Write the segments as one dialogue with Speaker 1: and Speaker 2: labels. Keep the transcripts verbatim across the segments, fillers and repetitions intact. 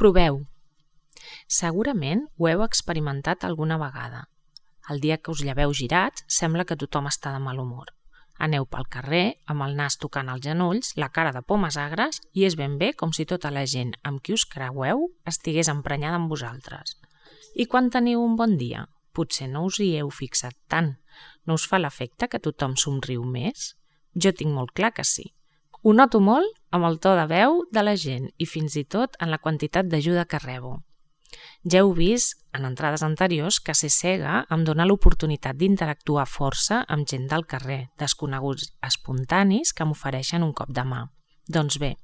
Speaker 1: Proveu. Segurament ho heu experimentat alguna vegada. El dia que us lleveu girats, sembla que tothom està de mal humor. Aneu pel carrer, amb el nas tocant els genolls, la cara de pomes agres, i és ben bé com si tota la gent amb qui us creueu estigués emprenyada amb vosaltres. I quan teniu un bon dia? Potser no us hi heu fixat tant. No us fa l'efecte que tothom somriu més? Jo tinc molt clar que sí. Ho noto molt amb el to de veu de la gent i fins i tot en la quantitat d'ajuda que rebo. Ja heu vist en entrades anteriors que ser cega em dona l'oportunitat d'interactuar força amb gent del carrer, desconeguts espontanis que m'ofereixen un cop de mà. Doncs bé,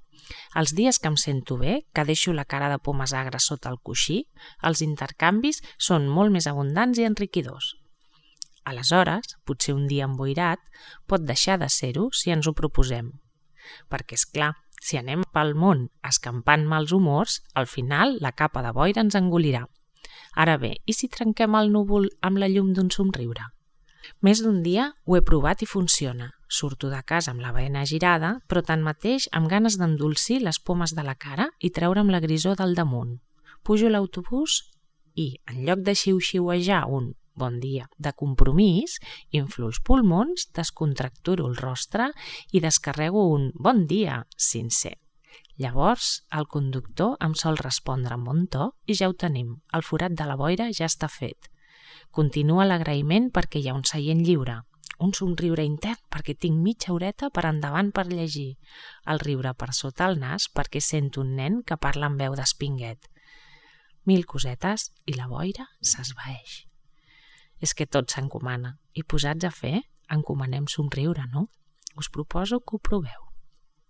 Speaker 1: els dies que em sento bé, que deixo la cara de pomes agres sota el coixí, els intercanvis són molt més abundants i enriquidors. Aleshores, potser un dia emboirat pot deixar de ser-ho si ens ho proposem. Perquè, és clar, si anem pel món escampant mals humors, al final la capa de boira ens engolirà. Ara bé, i si trenquem el núvol amb la llum d'un somriure? Més d'un dia ho he provat i funciona. Surto de casa amb la bena girada, però tanmateix amb ganes d'endolcir les pomes de la cara i treure'm la grisor del damunt. Pujo a l'autobús i, en lloc de xiu-xiuejar un bon dia de compromís, inflo els pulmons, descontracturo el rostre i descarrego un bon dia sincer. Llavors, el conductor em sol respondre amb bon to i ja ho tenim, el forat de la boira ja està fet. Continua l'agraïment perquè hi ha un seient lliure, un somriure intern perquè tinc mitja horeta per endavant per llegir, el riure per sota el nas perquè sento un nen que parla amb veu d'espinguet. Mil cosetes i la boira s'esvaeix. És que tot s'encomana i posats a fer, encomanem somriure, no? Us proposo que ho proveu.